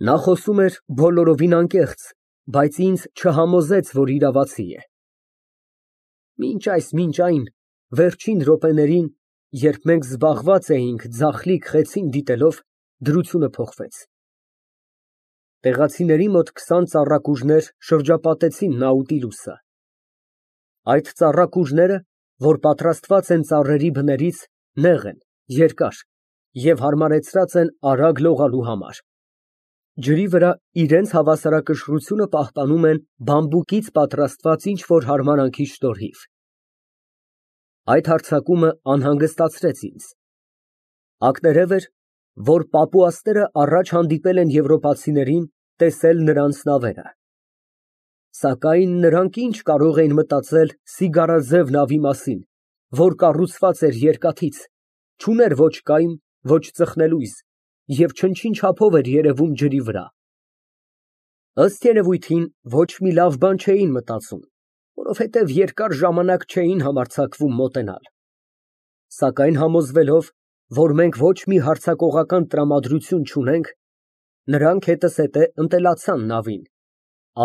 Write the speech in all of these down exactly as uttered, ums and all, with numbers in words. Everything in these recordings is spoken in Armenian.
Նա խոսում էր բոլորովին անկեղծ, բայց ինձ չհամոզեց, որ իրավացի է։ Մինչ այս մինչ այն, վերջին րոպեներին, երբ մենք զբաղված էինք ձախլիկ խեցին դիտելով, դրությունը փոխվեց։ Տեղացիների մոտ քսան ծառակուժներ շրջապատեցին Նաուտիլուսը։ Այդ ծառակուժները, որ պատրաստված են ծառերի բներից, նեղ են, երկար և հարմարեցրած են արագ լողալու համար։ Ջրի վրա իրենց հավասարակշռությունը պահպանում են բամբուկից պատրաստված ինչ֊որ հարմարանքի շնորհիվ։ Այդ հարձակումը անհանգստացրեց ինձ։ Ակներև էր, որ պապուասները առաջ հանդիպել են եվրոպացիներին տեսել նրանց նավերը։ Սակայն նրանք ինչ կարող էին մտածել սիգարաձև նավի մասին, որ կառուցված էր երկաթից, չուներ ոչ կայմ, ոչ ծխնելույզ և չնչին չափով էր երևում ջրի վրա։ Ըստ երևույթին, ոչ մի լավ բան չէին մտածում, որովհետև երկար ժամանակ չէին համարձակվում մոտենալ։ Սակայն համոզվելով, որ մենք ոչ մի հարձակողական տրամադրություն չունենք, նրանք հետզհետե ընտելացան նավին,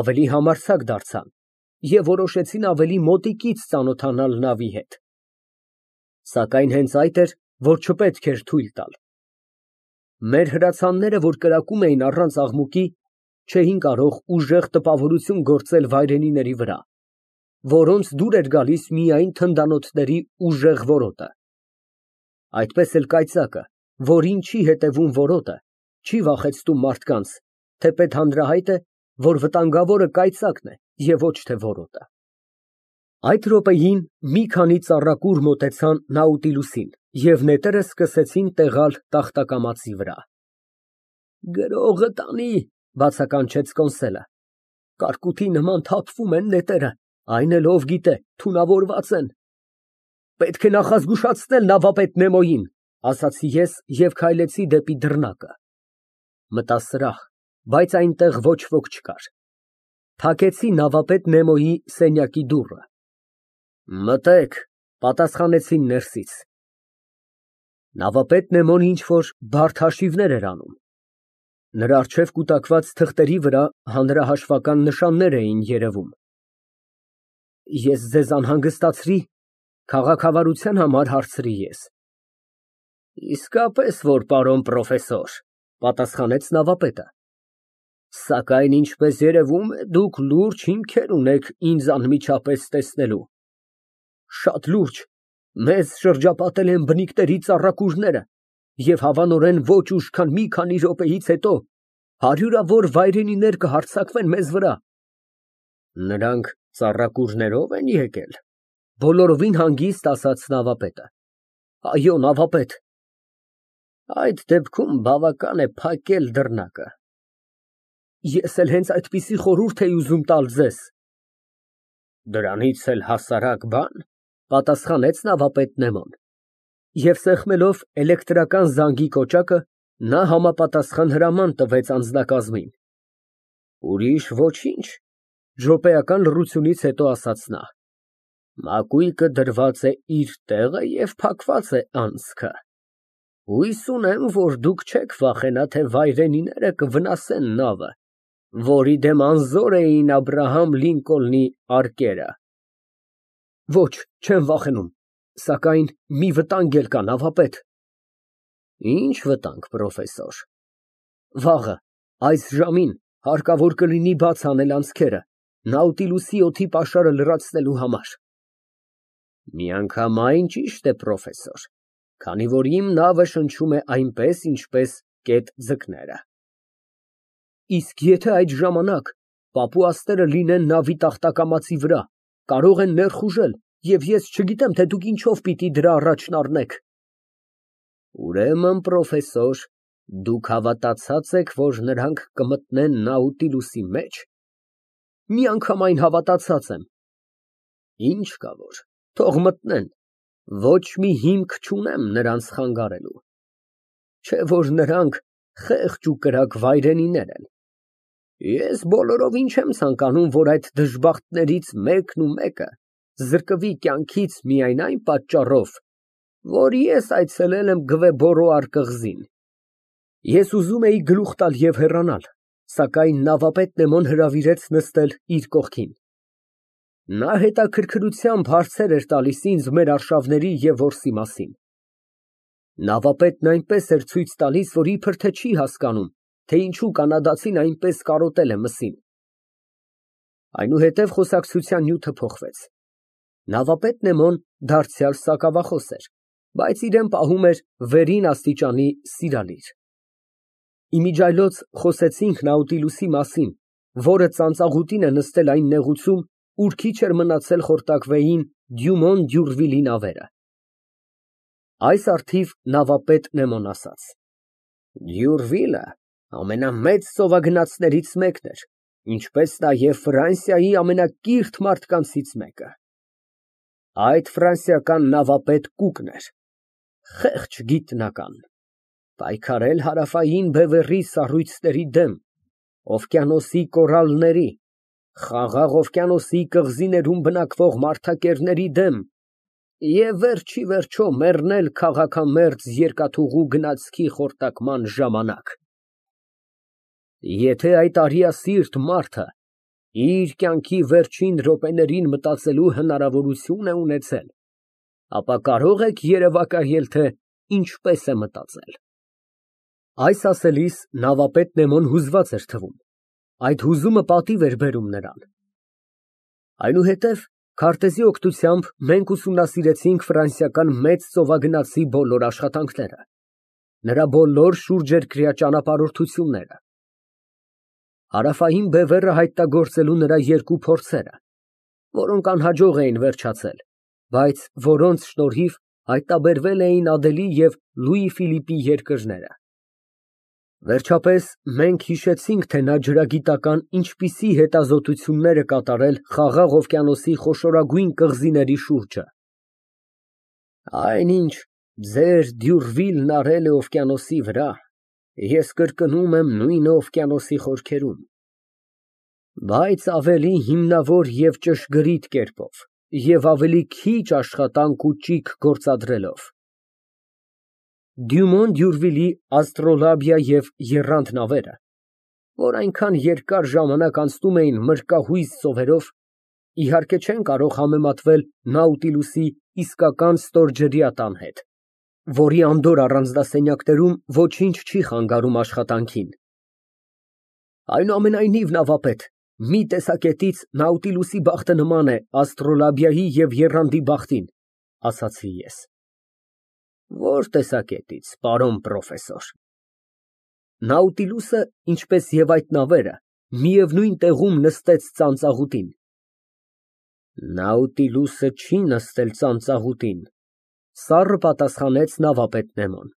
ավելի համարձակ դարձան և որոշեցին ավելի մոտիկից ծանոթանալ նավի հետ։ Սակայն հենց այդ էր, որ չպետք էր թույլ տալ։ Մեր հրացանները, որ կրակում էին առանց աղմուկի, չէին կարող ուժեղ տպավորություն գործել վայրենիների վրա, որոնց դուր էր գալիս միայն թնդանոթների ուժեղ որոտը։ Այդպես էլ կայծակը, որին չի հետևում որոտը, չի վախեցնում մարդկանց, թեպետ հանրահայտ է, որ վտանգավորը կայծակն է և ոչ թե որոտը։ Այդ րոպեին մի քանի ծառակուր մոտեցան Նաուտիլուսին և նետերը սկսեցին տեղալ տախտակամածի վրա։ «Գրողը տանի», բացականչեց Կոնսելը։ «Կարկուտի նման թափվում են նետերը, այն էլ ով գիտե, թունավորված են»։ «Պետք է նախազգուշացնել նավապետ Նեմոյին», ասացի ես և քայլեցի դեպի դռնակը։ Մտա սրահ, բայց այնտեղ ոչ ոք չկար։ Փակեցի նավապետ Նեմոյի սենյակի դուռը։ «Մտեք», պատասխանեցին ներսից։ Նավապետ Նեմոն ինչ֊որ բարդ հաշիվներ էր անում։ Նրա առջև կուտակված թղթերի վրա հանրահաշվական նշաններ էին երևում։ «Ես ձեզ անհանգստացրի», քաղաքավարության համար հարցրի ես։ «Իսկապես որ, պարոն պրոֆեսոր», պատասխանեց նավապետը։ «Սակայն ինչպես երևում է, դուք լուրջ հիմքեր ունեք ինձ անմիջապես տեսնելու»։ «Շատ լուրջ, մեզ շրջապատել են բնիկների ծառակուրները և հավանորեն ոչ ուշ քան մի քանի րոպեից հետո հարյուրավոր վայրենիներ կհարձակվեն մեզ վրա»։ «Նրանք ծառակուրներո՞վ են եկել», բոլորովին հանգիստ ասաց նավապետը։ «Այո, նավապետ»։ «Այդ դեպքում բավական է փակել դռնակը»։ «Ես էլ հենց այդպիսի խորհուրդ էի ուզում տալ ձեզ»։ «Դրանից էլ հասարակ բան», պատասխանեց նավապետ Նեմոն, և սեղմելով էլեկտրական զանգի կոճակը, նա համապատասխան հրաման տվեց անձնակազմին։ «Ուրիշ ոչինչ», րոպեական լռությունից հետո ասաց նա։ «Մակույկը դրված է իր տեղը և փակված է անցքը։ Հույս ունեմ, որ դուք չեք վախենա, թե վայրենիները կվնասեն նավը, որի դեմ անզոր էին Աբրահամ Լինկոլնիարկերը»։ «Ոչ, չեմ վախենում, սակայն մի վտանգ էլ կա, նավապետ»։ «Ի՞նչ վտանգ, պրոֆեսոր»։ «Վաղը, այս ժամին, հարկավոր կլինի բաց անել անցքերը, Նաուտիլուսի օդի պաշարը լրացնելու համար»։ «Միանգամայն ճիշտ է, պրոֆեսոր, քանի որ իմ նավը շնչում է այնպես, ինչպես կետ ձկները»։ «Իսկ եթե այդ ժամանակ պապուասները լինեն նավի տախտակամածի վրա, կարող են ներխուժել, և ես չգիտեմ, թե դուք ինչով պիտի դրա առաջն առնեք»։ «Ուրեմն, պրոֆեսոր, դուք հավատացած եք, որ նրանք կմտնեն Նաուտիլուսի մեջ»։ «Միանգամայն հավատացած եմ»։ «Ինչ կա որ, թող մտնեն, ոչ մի հիմք չունեմ նրանց խանգարելու։ Չէ որ նրանք խեղճ ու կրակ վայրենիներ են։ Ես բոլորովին չեմ ցանկանում, որ այդ դժբախտներից մեկն ու մեկը զրկվի կյանքից միայն այն պատճառով, որ ես այցելել եմ Գվեբորո arkղզին»։ Ես ուզում էի գլուխ տալ և հեռանալ, Սակայն նավապետ Նեմոն հրավիրեց նստել իր կողքին։ Նա հետաքրքրությամբ հարցեր էր տալիս ինձ մեր արշավների և որսի մասին։ Նավապետն այնպես էր ցույց տալիս, որ իբր թե չի հասկանում, թե ինչու կանադացին այնպես կարոտել է մսին։ Այնուհետև խոսակցության նյութը փոխվեց։ Նավապետ Նեմոն դարձյալ սակավախոս էր, բայց իրան պահում էր վերին աստիճանի սիրալիր։ Իմիջիայլոց խոսեցինք Նաուտիլուսի մասին, որը ծանծաղուտին է նստել այն նեղուցում, ուր քիչ էր մնացել խորտակվեին Դյումոն Դյուրվիլի նավերը։ Այս առթիվ նավապետ Նեմոն ասաց. Դյուրվիլը ամենամեծ ծովագնացներից մեկն էր, ինչպես նաև Ֆրանսիայի ամենակիրթ մարդկանցից մեկը։ Այդ ֆրանսիական նավապետ Կուկն էր, խեղճ գիտնական, պայքարել Հարավային Բևեռի սառույցների դեմ, օվկիանոսի կորալների, Խաղաղ օվկիանոսի կղզիներում բնակվող մարդակերների դեմ և վերջ ի վերջո մեռնել քաղաքամերձ երկաթուղու գնացքի խորտակման ժամանակ։ Եթե այդ արիասիրտ մարդը իր կյանքի վերջին րոպեներին մտածելու հնարավորություն է ունեցել, ապա կարող եք երևակայել, թե ինչպես է մտածել։ Այս ասելիս նավապետ Նեմոն հուզված էր թվում, այդ հուզումը պատիվ էր բերում նրան։ Այնուհետև քարտեզի օգնությամբ մենք ուսումնասիրեցինք ֆրանսիական մեծ ծովագնացի բոլոր աշխատանքները, նրա բոլոր շուրջերկրյա ճանապարհորդությունները, Հարավային Բևեռը հայտնագործելու նրա երկու փորձերը, որոնք անհաջող էին վերջացել, բայց որոնց շնորհիվ հայտնաբերվել էին Ադելի և Լուի Ֆիլիպի երկրները։ Վերջապես մենք հիշեցինք, թե նա ջրագիտական ինչպիսի հետազոտություններ է կատարել Խաղաղ օվկիանոսի խոշորագույն կղզիների շուրջը։ Այնինչ ձեր Դյուրվիլն արել է օվկիանոսի վրա, ես կրկնում եմ նույնը օվկիանոսի խորքերում, բայց ավելի հիմնավոր և ճշգրիտ կերպով և ավելի քիչ աշխատանք ու ճիգ գործադրելով։ Դյումոն Դյուրվիլի աստրոլաբիա և եռանդ նավերը, որ այնքան երկար ժամանակ անցնում էին մրրկահույզ ծովերով, իհարկե չեն կարող համեմատվել Նաուտիլուսի իսկական ստորջրյա տան հետ, որի անդորր առանձնասենյակներում ոչինչ չի խանգարում աշխատանքին։ Այնուամենայնիվ, նավապետ, մի տեսակետից Նաուտիլուսի բախտը նման է աստրոլաբիայի և եռանդի բախտին, ասացի ես։ Ո՞ր տեսակետից, պարոն պրոֆեսոր։ Նաուտիլուսը, ինչպես և այդ նավերը, միևնույն տեղում նստեց ծանծաղուտին։ Նաուտիլուսը չի նստել ծանծաղուտին, սառը պատասխանեց նավապետ Նեմոն։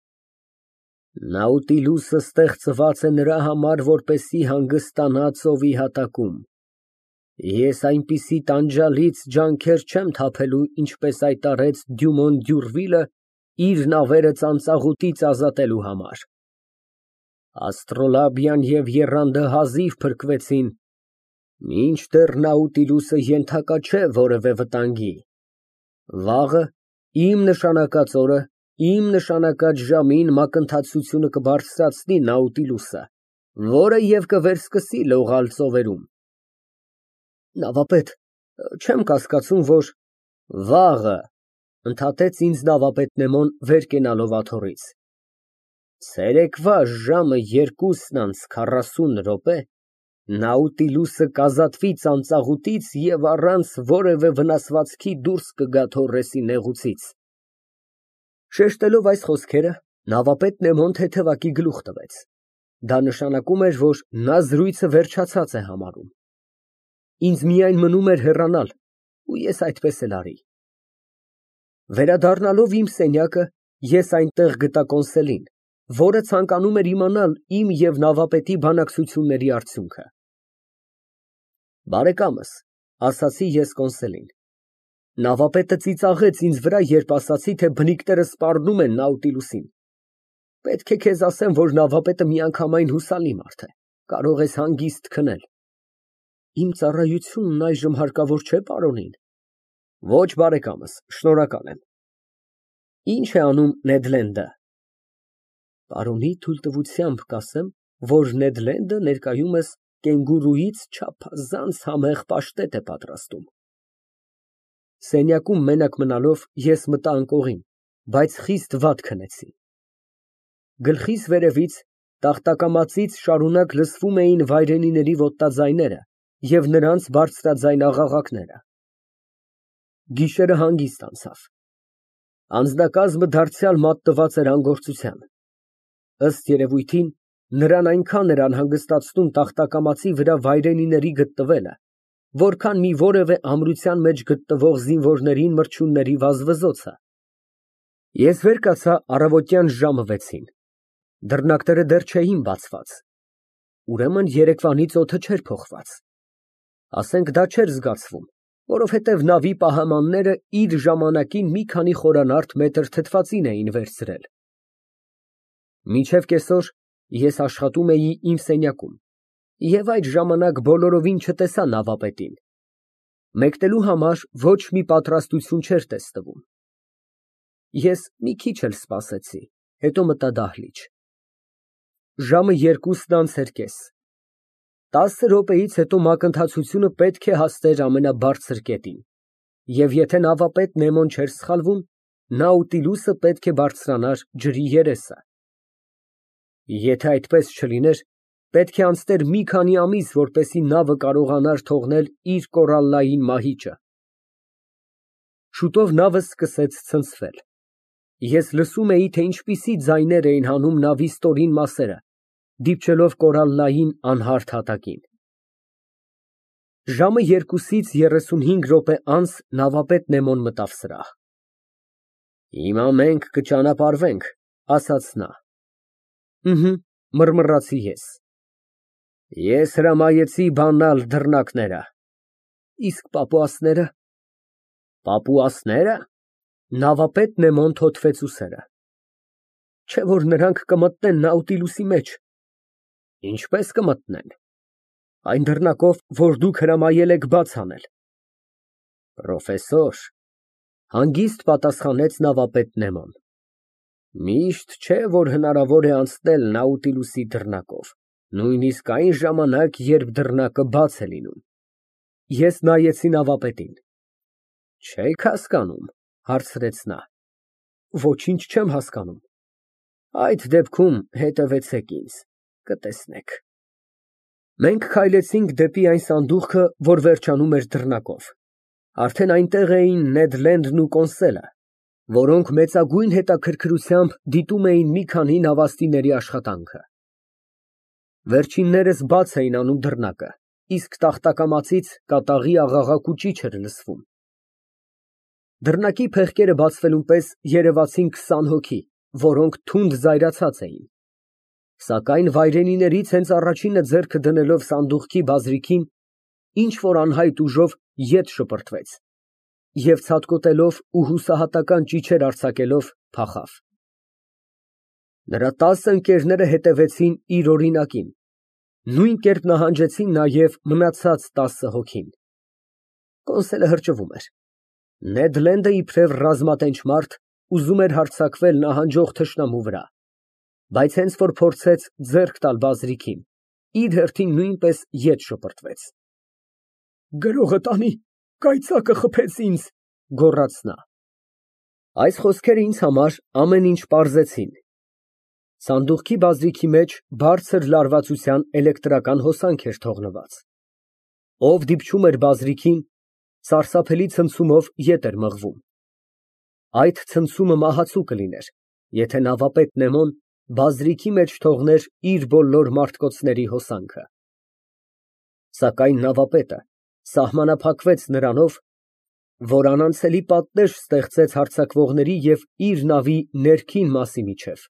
Նաուտիլուսը ստեղծված է նրա համար, որպեսզի հանգստանա ծովի հատակում։ Ես այնպիսի տանջալից ջանքեր չեմ թափելու, ինչպես այդ արեց Դյումոն Դյուրվիլը իր նավերը ծանծաղուտից ազատելու համար։ Աստրոլաբիան և եռանդը հազիվ փրկվեցին, մինչդեռ Նաուտիլուսը ենթակա չէ որևէ վտանգի։ Վաղը, իմ նշանակած օրը, իմ նշանակած ժամին մակընթացությունը կբարձրացնի Նաուտիլուսը, որը և կվերսկսի լողալ ծովերում։ Նավապետ, չեմ կասկածում, որ… Վաղը, ընդհատեց ինձ նավապետ Նեմոն, վեր կենալով աթոռից, ցերեկվա ժամը երկուսն անց քառասուն րոպե Նաուտիլուսը կազատվի ծանծաղուտից և առանց որևէ վնասվածքի դուրս կգա Թորրեսի նեղուցից։ Շեշտելով այս խոսքերը, նավապետ Նեմոն թեթևակի գլուխ տվեց։ Դա նշանակում էր, որ նա զրույցը վերջացած է համարում։ Ինձ միայն մնում էր հեռանալ, ու ես այդպես էլ արի։ Վերադառնալով իմ սենյակը, ես այնտեղ գտա կոնսելին, որը ցանկանում էր իմանալ իմ և նավապետի բանակցությունների արդյունքը։ Բարեկամս, ասացի ես կոնսելին, նավապետը ծիծաղեց ինձ վրա, երբ ասացի, թե բնիկները սպառնում են Նաուտիլուսին։ Պետք է քեզ ասեմ, որ նավապետը միանգամայն հուսալի մարդ է, կարող ես հանգիստ քնել։ Իմ ծառայությունն այժմ հարկավոր չէ պարոնին։ Ոչ, բարեկամս, շնորհակալ եմ։ Ի՞նչ է անում Նեդ Լենդը։ Պարոնի թույլտվությամբ կասեմ, որ Նեդ Լենդը ներկայումս կենգուրուից չափազանց համեղ պաշտետ է պատրաստում։ Սենյակում մենակ մնալով ես մտա անկողին, բայց խիստ վատ քնեցի։ Գլխիս վերևից, տախտակամածից շարունակ լսվում էին վայրենիների ոտածայները և նրանց բարձրաձայն աղաղակները։ Գիշերը հանգիստ անցավ։ Անձնակազմը դարձյալ մատնված էր անգործության։ Ըստ երևույթին, նրան այնքան էր անհանգստացնում տախտակամածի վրա վայրենիների գտնվելը, որքան մի որևէ ամրության մեջ գտնվող զինվորներին մրջյունների վազվզոցը։ Ես վեր կացա առավոտյան ժամը վեցին։ Դռնակները դեռ չէին բացված։ Ուրեմն երեկվանից օդը չէր փոխված։ Ասենք դա չէր զգացվում, որովհետև նավի պահամանները իր ժամանակին մի քանի խորանարդ մետր թթվածին էին վերցրել։ Մինչև կեսօր ես աշխատում էի իմ սենյակում և այդ ժամանակ բոլորովին չտեսա նավապետին։ Մեկնելու համար ոչ մի պատրաստություն չէր տեսնվում։ Ես մի քիչ էլ սպասեցի, հետո մտա դահլիճ։ Ժամը երկուսն անց էր կես։ Տասը րոպեից հետո մակընթացությունը պետք է հասներ ամենաբարձր կետին, և եթե նավապետ Նեմոն չէր սխալվում, Նաուտիլուսը պետք է բարձրանար ջրի երեսը։ Եթե այդպես չլիներ, պետք է անցներ մի քանի ամիս, որպեսզի նավը կարողանար թողնել իր կորալլային մահիճը։ Շուտով նավը սկսեց ցնցվել։ Ես լսում էի, թե ինչպիսի ձայներ էին հանում նավի ստորին մասերը, դիպչելով կորալլային անհարթ հատակին։ Ժամը երկուսից երեսունհինգ րոպե անց նավապետ Նեմոն մտավ սրահ։ Հիմա մենք կճանապարհվենք, ասաց նա։ Ըհը, մռմռացի ես։ Ես հրամայեցի բանալ դռնակները։ Իսկ պապուասնե՞րը։ Պապուասնե՞րը։ Նավապետ Նեմոն թոթվեց ուսերը։ Չէ՞ որ նրանք կմտնեն Նաուտիլուսի մեջ։ Ինչպես կմտնեն։ Այն դռնակով, որ դուք հրամայել եք բաց անել։ Պրոֆեսոր, հանգիստ պատասխանեց նավապետ Նեմոն, միշտ չէ, որ հնարավոր է անցնել Նաուտիլուսի դռնակով, նույնիսկ այն ժամանակ, երբ դռնակը բաց է լինում։ Ես նայեցի նավապետին։ Չե՞ք հասկանում, հարցրեց նա։ Ոչինչ չեմ հասկանում։ Այդ դեպքում հետևեցեք ինձ, կտեսնեք։ Մենք քայլեցինք դեպի այն սանդուղքը, որ վերջանում էր դռնակով։ Արդեն այնտեղ էին Նեդ Լենդն ու Կոնսելը, որոնք մեծագույն հետաքրքրությամբ դիտում էին մի քանի նավաստիների աշխատանքը։ Վերջիններս բաց էին անում դռնակը, իսկ տախտակամածից կատաղի աղաղակ ու ճիչ էր լսվում։ Դռնակի փեղկերը բացվելուն պես երևացին քսան հոգի, որոնք թունդ զայրացած էին։ Սակայն վայրենիներից հենց առաջինը ձեռքը դնելով սանդուղքի բազրիքին, ինչ֊որ անհայտ ուժով ետ շպրտվեց և ցատկոտելով ու հուսահատական ճիչեր արձակելով փախավ։ Նրա տասը ընկերները հետևեցին իր օրինակին, նույն կերպ նահանջեցին նաև մնացած տասը հոգին։ Կոնսելը հրճվում էր։ Նեդ Լենդը իբրև ռազմատենչ մարդ ուզում էր հարձակվել նահանջող թշնամու վրա, բայց հենց որ փորձեց ձեռք տալ բազրիքին, իր հերթին նույնպես ետ շպրտվեց։ Գրողը տանի, կայծակը խփեց ինձ, գոռաց նա։ Այս խոսքերը ինձ համար ամեն ինչ պարզեցին։ Սանդուղքի բազրիքի մեջ բարձր լարվածության էլեկտրական հոսանք էր թողնված։ Ով դիպչում էր բազրիքին, սարսափելի ցնցումով ետ էր մղվում։ Այդ ցնցումը մահացու կլիներ, եթե նավապետ Նեմոն բազրիքի մեջ թողներ իր բոլոր մարտկոցների հոսանքը։ Սակայն նավապետը սահմանափակվեց նրանով, որ անանցելի պատնեշ ստեղծեց հարձակվողների և իր նավի ներքին մասի միջև։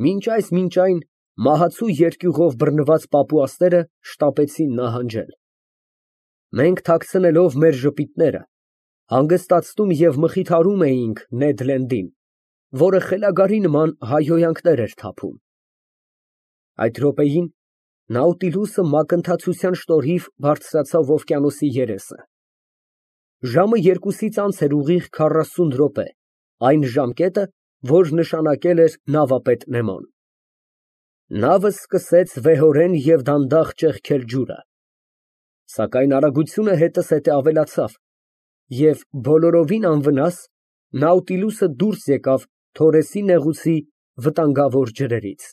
Մինչ այս մինչ այն մահացու երկյուղով բռնված պապուասները շտապեցին նահանջել։ Մենք թաքցնելով մեր ժպիտները, հանգստացնում և մխիթարում էինք Նեդ Լենդին, որը խելագարի նման հայհոյանքներ էր թափում։ Այդ րոպեին Նաուտիլուսը մակընթացության շնորհիվ բարձրացավ օվկիանոսի երեսը։ Ժամը երկուսից անց էր ուղիղ քառասուն րոպե, այն ժամկետը, որ նշանակել էր նավապետ Նեմոն։ Նավը սկսեց վեհորեն և դանդաղ ճեղքել ջուրը, սակայն արագությունը հետզհետե ավելացավ, և բոլորովին անվնաս Նաուտիլուսը դուրս եկավ Թորեսի նեղուցի վտանգավոր ջրերից։